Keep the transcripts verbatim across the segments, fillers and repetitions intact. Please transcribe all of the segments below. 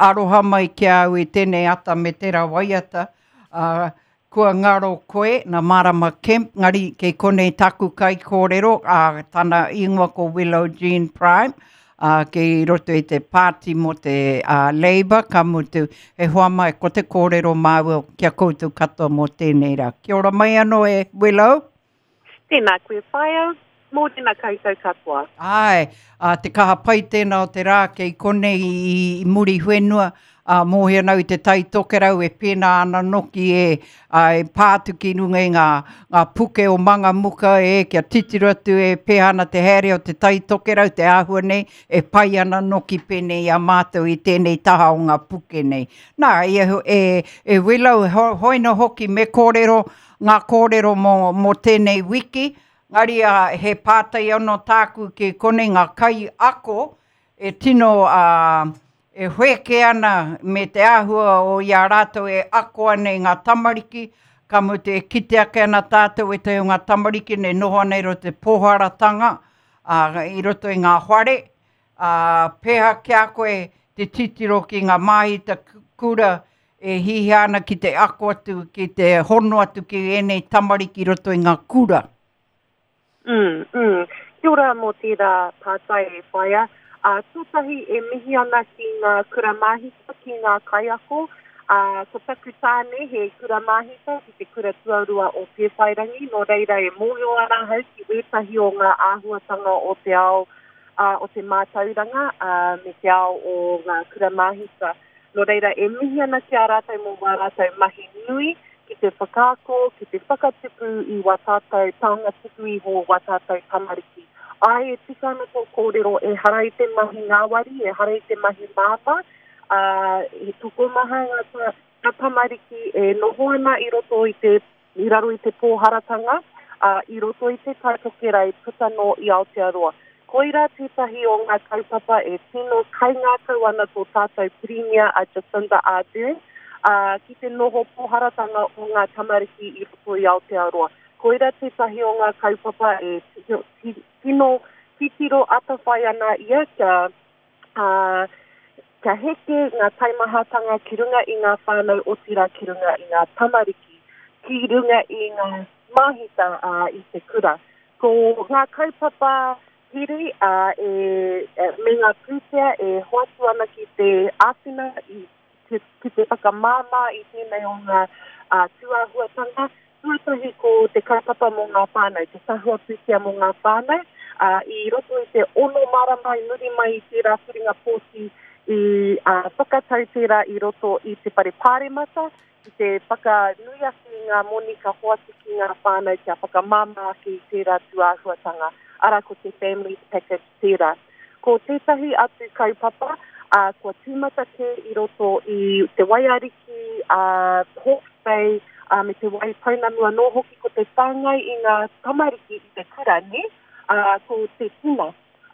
aroha mai ki a au i tēnei ata me tērā waiata, uh, kua ngaro koe, nā Marama Kemp, ngari kei konei taku kaikōrero, ā, tana ingoa ko Willow Jean Prime, ā, kei roto i te pāti mō te uh, Labour, ka mutu, he hoa mai ko te kōrero māua ki a koutou katoa mō tēnei rā. Kia ora mai anō e Willow. Tēnā koe whaea, mōrena koutou katoa. Āe, ā, te kaha pai tēnā o te rā kei konei i, i Muriwhenua, ā, mōhio ana au i te Tai Tokerau e pēnā ana noki e, ā, e pā atu ki runga i ngā, ngā puke o Mangamuka e, kia titiro atu e pēhea ana te haere o te Tai Tokerau, te āhua nei, e pai ana noki pēnei i a mātou i tēnei taha o ngā puke nei. Nā, e, e, e Willow, ho, hoina hoki me kōrero, ngā kōrero mō, mō tēnei wiki, ngari a, he pātai anō tāku ki konei ngā kai ako e tino a, e wheke ana me te āhua o i a rātou e ako ana i ngā tamariki, ka mutu e kite ake ana tātou e te o ngā tamariki nei noho ana i roto te pōharatanga, ā, i roto i ngā whare, ā, pēhea ki a koe te titiro ki ngā māhita kura e hihia ana ki te ako atu, ki te hono atu ki ēnei tamariki i roto i ngā kura. Mm, mm. Kia ora mō tērā pātai e whaea. Uh, tuatahi e mihi ana ki ngā kura māhita, ki ngā kaiako. Uh, ko taku tāne he kura māhita ki te kura tuarua o Pēwhairangi, nō reira e mōhio ana ahau ki wētahi o ngā āhuatanga o te ao uh, o te mātauranga uh, me te ao o ngā kura māhita. Nō reira e mihi ana ki a rātou mō wā rātou mahi nui ki te whakaako, ki te whakatupu i wā tātou taonga tuku iho, wā tātou tamariki. Ai, e tika ana tō kōrero, ehara i te mahi ngāwari, ehara i te mahi māmā, uh, he tokomaha ngā, ngā tamariki e noho ana i roto i te, i raro i te pōharatanga, uh, i roto i te Tai Tokerau puta no i Aotearoa. Koira tētahi o ngā kaupapa e tino kaingākau ana tō tātou pirimia a Jacinda Ardern, uh, ki te noho pōharatanga o ngā tamariki i roto i Aotearoa. Koira tētahi o ngā kaupapa e tino titiro atawhai ana ia kia, uh, kia heke ngā taimahatanga ki runga i ngā whānau otirā ki runga i ngā tamariki, ki runga i ngā māhita uh, i te kura. Ko ngā kaupapa hiri uh, e, e, me ngā pūtea e hoatu ana ki te āwhina i ki, ki te whakamāmā i tēnei o ngā uh, tūāhuatanga. Tuatahi ko te kaupapa mō ngā whānau, te tahua pūtea mō ngā whānau, uh, i roto i te ono marama i muri mai i tērā whiringa pōti i uh, whakatau tērā i roto i te whare pāremata, ki te whakanui ake i ngā moni ka hoatu ki ngā whānau kia whakamāmā ake i tērā tūāhuatanga. Ara ko te Families Package tērā. Ko tētahi atu kaupapa, uh, kua tīmata kē i roto i te Waiariki, uh, Hawke's Bay, uh, me te Waipounamu anō hoki ko te whāngai i ngā tamariki i te kura, ne? Uh, ko te tina.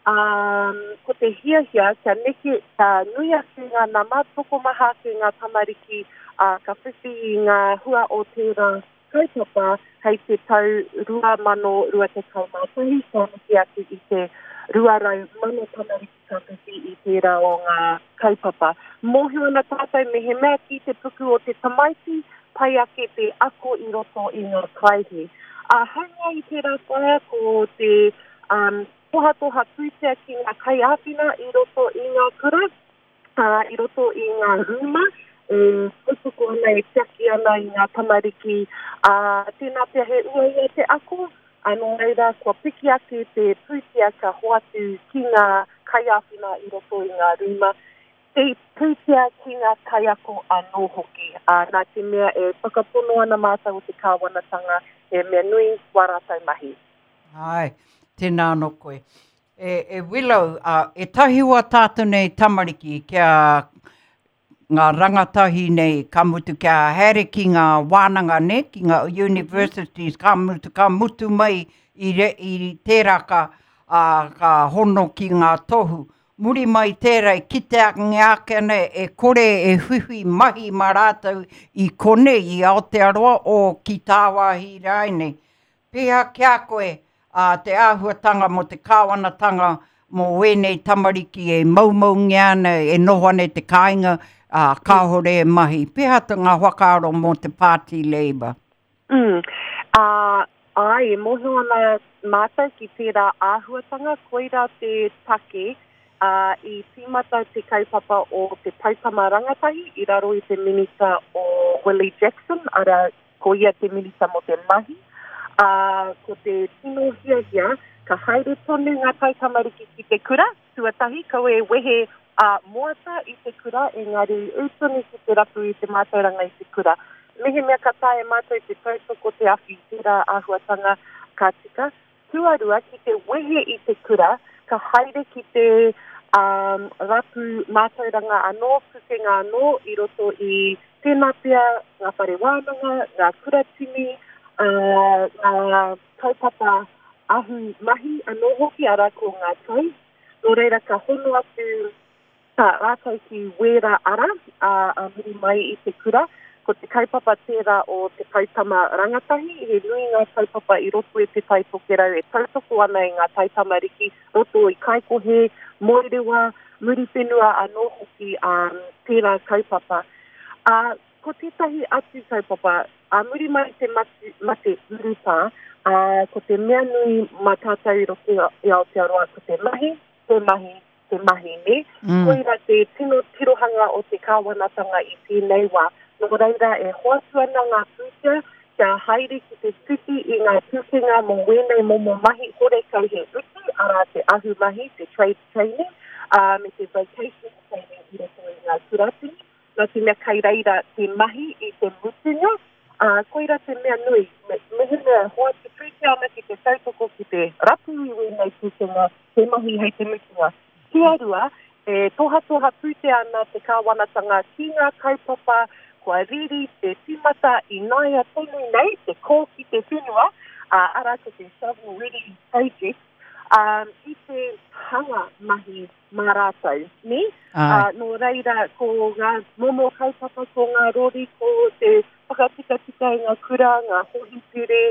Um, ko te hiahia kia neke, kia nui ake ngā nama, tokomaha ake ngā tamariki, uh, ka whiwhi i ngā hua o tērā kaupapa hei te tau rua mano rua tekau mā tahi, ka neke atu i te rua rau mano tamariki ka whiwhi i tērā o ngā kaupapa. Mōhio ana tātou me he mea ki te puku o te tamaiti, pai ake te ako i roto i ngā kaihi. Uh, haunga i tērā whaea ko te um, tohatoha pūtea ki ngā kaiāwhina i roto i ngā kura, uh, i roto i ngā rūma, e tautoko ana e tiaki ana i ngā tamariki. Uh, tēnā pea he uaua te ako, anō reira kua piki ake te pūtea ka hoatu ki ngā kaiāwhina i roto i ngā rūma. Te pūtea ki ngā kaiako anō hoki. Uh, nā te mea e whakapono ana mātou o te kāwanatanga, he mea nui wā rātou mahi. Ai, tēnā anō koe. E, e Willow, uh, e tahi wā tātou nei tamariki kia ngā rangatahi nei, ka mutu kia haere ki ngā wānanga ne, ki ngā universities, ka mutu, ka mutu mai i, re, i tērā ka, uh, ka hono ki ngā tohu. Muri mai tērā e kite ake ana e kore e whiwhi mahi mā rātou i konei i Aotearoa o ki tāwāhi rānei. Pēhea ki a koe uh, te āhuatanga mō te kāwanatanga mō wēnei tamariki e maumaungia ana, e noho ana i te kāinga, ā, kāore e mahi. Pēhea te ngā whakaaro mō te Pāti Labour? Mm. Ā, āe, e mōhio ana mātou ki tērā āhuatanga, koirā te take, ā, i tīmata te kaupapa o te Poutama Rangatahi i raro i te Minita o Willie Jackson, arā, ko ia te Minita mō te Mahi, ā, ko te tino hiahia, ka haere tonu ngā taitamariki ki te kura, tuatahi, kaua e wehe ā moata i te kura, engari ū tonu ki te rapu i te mātauranga i te kura. Mehemea ka taea e mātou te tautoko te awhi i tērā āhuatanga, ka tika. Tuarua, ki te wehe i te kura, ka haere ki te um, rapu mātauranga anō, pukenga anō i roto i tēnā pea ngā whare wānanga, ngā kuratini, uh, ngā kaupapa ahu mahi anō hoki, arā ko ngā toi. Nō reira ka hono atu tā rātou ki wērā ara ā, ā muri mai i te kura. Ko te kaupapa tērā o te Poutama Rangatahi, he nui ngā kaupapa i roto i Te Tai Tokerau e tautoko ana i ngā taitamariki roto i Kaikohe, Moerewa, Muriwhenua anō hoki ā, tērā kaupapa. Ā, ko tētahi atu kaupapa, ā muri mai i te mate, mate urutā, ā, ko te mea nui mā tātou i roto i Aotearoa ko te mahi, te mahi, te mahi, nē? Mm. Koira te tino tirohanga o te kāwanatanga i tēnei wā. Nō reira, e hoatu ana ngā pūtea kia haere ki te whiwhi i ngā pūkenga mō wēnei momo mahi horekau he utu, arā te ahumahi, te trade training, ā, me te vocational training i roto i ngā kuratini, nā te mea kei reira te mahi i te mutunga, ā, koira te mea nui, me, mehemea e hoatu pūtea ana ki te tautoko ki te rapu i wēnei pūkenga, te mahi hei te mutunga. Tuarua, e tohatoha pūtea ana te kāwanatanga ki ngā kaupapa kua riri te tīmata ināia tonu nei, te kō ki te whenua, ā, arā ko te Shovel Ready Project, ā, i te hanga mahi mā rātou, nē? Āe. Ā, nō reira, ko ngā momo kaupapa, ko ngā rori, ko te whakatikatika i ngā kura, ngā hōhipere,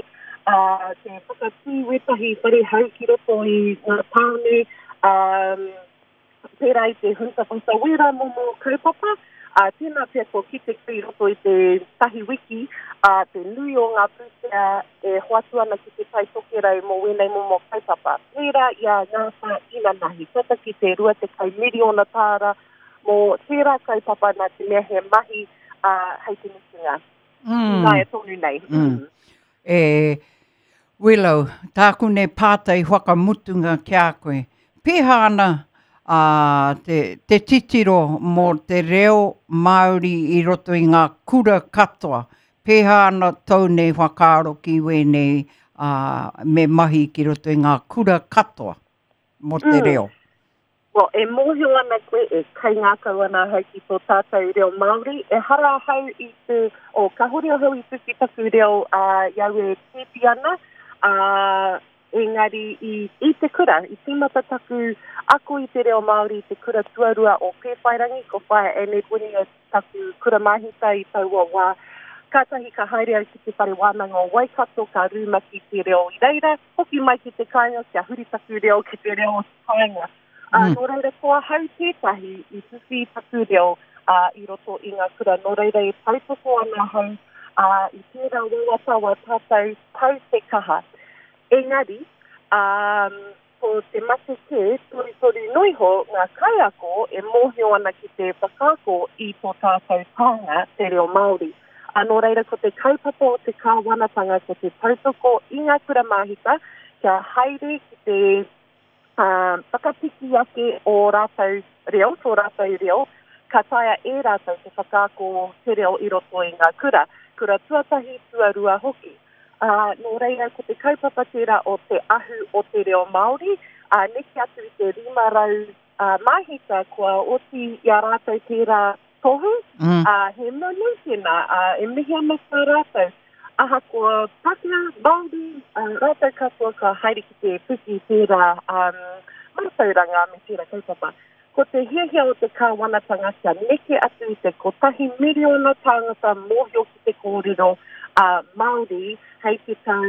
ā, te whakatū wētahi whare hou ki roto i ngā tāone, ā, pērā i te Hunta Whata wērā momo kaupapa, ā, tēnā pea kua kite koe i roto i te tahi wiki, ā, te nui o ngā pūtea e hoatu ana ki Te Tai Tokerau mō wēnei momo kaupapa. Pērā i a Ngāwhā inanahi, tata ki te rua tekau miriona tāra mō tērā kaupapa nā te mea he mahi, ā, hei te mutunga. Mm. Ināia tonu nei. Mm. E, Willow, tāku nei pātai whakamutunga ki a koe. Pēhea ana ā, te, te titiro mō te reo Māori i roto i ngā kura katoa? Pēhea ana tōu nei whakaaro ki wēnei ā, me mahi ki roto i ngā kura katoa mō te Mm. reo? Well, e mōhio ana koe, e kaingākau ana ahau ki tō tātou reo Māori. Ehara ahau i te, oh, kāhore ahau i whiwhi taku reo ā, i au e pēpi ana, ā, engari i, i te kura, i tīmata taku ako i te reo Māori i te kura tuarua o Pēwhairangi, ko Whaea Annette Winia taku kura māhita i taua wā. Kātahi ka haere au ki te whare wānanga o Waikato, ka rūmaki te reo i reira, hoki mai ki te kāinga kia huri taku reo ki te reo o te kāinga. Ā, Mm. nō reira, ko ahau tētahi i whiwhi taku reo ā, i roto i ngā kura. Nō reira e tautoko ana ahau ā, i tērā wawata wā tātou tau te kaha. Engari, um, ko te mate kē, torutoru noa iho ngā kaiako e mōhio ana ki te whakaako i tō tātou taonga, te reo Māori. Ā, nō reira, ko te kaupapa o te kāwanatanga, ko te tautoko i ngā kura māhita, kia haere ki te um, whakapiki ake o rātou reo, tō rātou reo, ka taea e rātou te whakaako te reo i roto i ngā kura. Kura tuatahi, tuarua hoki. Ā, nō reira, ko te kaupapa tērā o te ahu o te reo Māori, ā, neke atu i te rima rau ā, māhita kua oti i a rātou tērā tohu, Mm. ā, he mea nui tēnā, ā, e mihi ana ki a rātou. Ahakoa Pākehā, Māori, ā, rātou katoa ka haere ki te whiwhi tērā um, mātauranga me tērā kaupapa. Ko te hiahia o te kāwanatanga kia neke atu i te kotahi miriona tāngata mōhio ki te kōrero ā, Māori hei te tau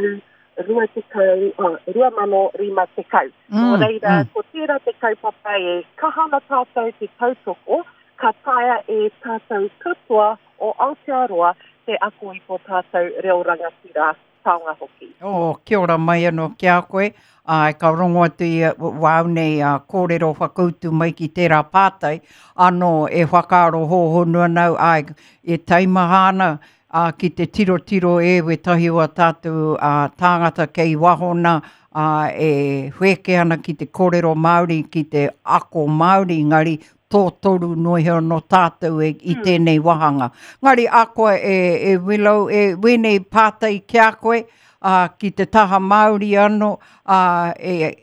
rua tekau, oh, rua mano rima tekau. Mm, Nō reira, mm. ko tērā te kaupapa e kaha ana tātou te tautoko, Ka taea e tātou katoa o Aotearoa te ako i tō tātou reo rangatira taonga hoki. Oh, kia ora mai anō ki a koe. Ai, ka rongo atu i wāu nei a kōrero whakautu mai ki tērā pātai. Anō e whakaaro hōhonu ana au, ai, e taimaha ana a, ki te tirotiro e wetahi o a tātou a, tāngata kei waho nā, a, e wheke ana ki te kōrero Māori, ki te ako Māori, ngari tō toru noa iho no tātou e, i tēnei wāhanga. Ngari a koe e, e Willow, e wēnei pātai ki a koe, a, ki te taha Māori anō, a, e,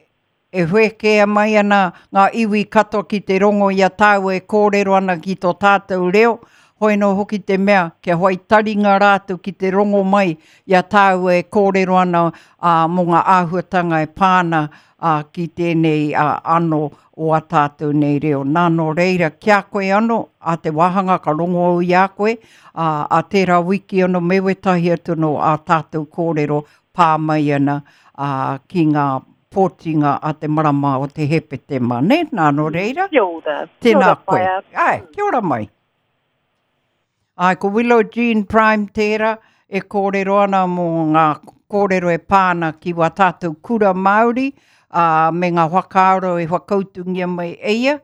e whekea mai ana ngā iwi katoa ki te rongo i a tāua e kōrero ana ki tō tātou reo, hoi nō hoki te mea, kia whai taringa rātou ki te rongo mai i a tāua e kōrero ana a, mō ngā āhuatanga e pāna a, ki tēnei a, anō o a tātou nei reo. Nā nō reira, ki a koe anō, a te wāhanga ka rongo au i a koe, a, a tērā wiki anō me wetahi atu no a tātou kōrero pā mai ana a, ki ngā pōtinga a te marama o te Hepetema, ne? Nā nō reira, Kia ora. tēnā Kia ora, koe. whaea. Ai, kia ora mai. Ai, ko Willow Jean Prime tērā e kōrero ana mō ngā kōrero e pāna ki wā tātou kura Māori, ā, me ngā whakaaro e whakautungia mai e ia,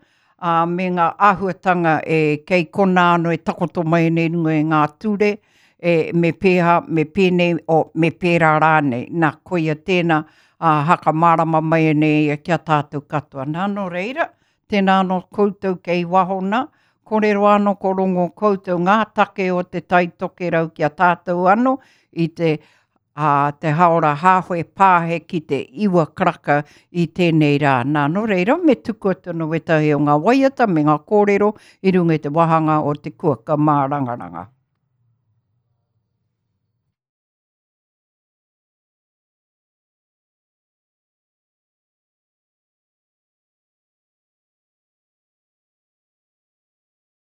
ā, me ngā āhuatanga e kei kona anō e takoto mai nei runga i ngā ture, e, me pēhā, me pēnei, o, me pērā rānei. Nā, koia tēnā, ā, hakamārama mai nei ia ki a tātou katoa. Nā, nō reira, tēnā anō koutou kei waho nā, kōrero anō ko rongo koutou ngā take o te Tai Tokerau ki a tātou anō i te, a, te haora hāwhe pāhe ki te iwa karaka i tēnei rā. Nā, nō reira, me tuku atu anō wetahi o ngā waiata me ngā kōrero i runga i te wāhanga o te kuaka mārangaranga.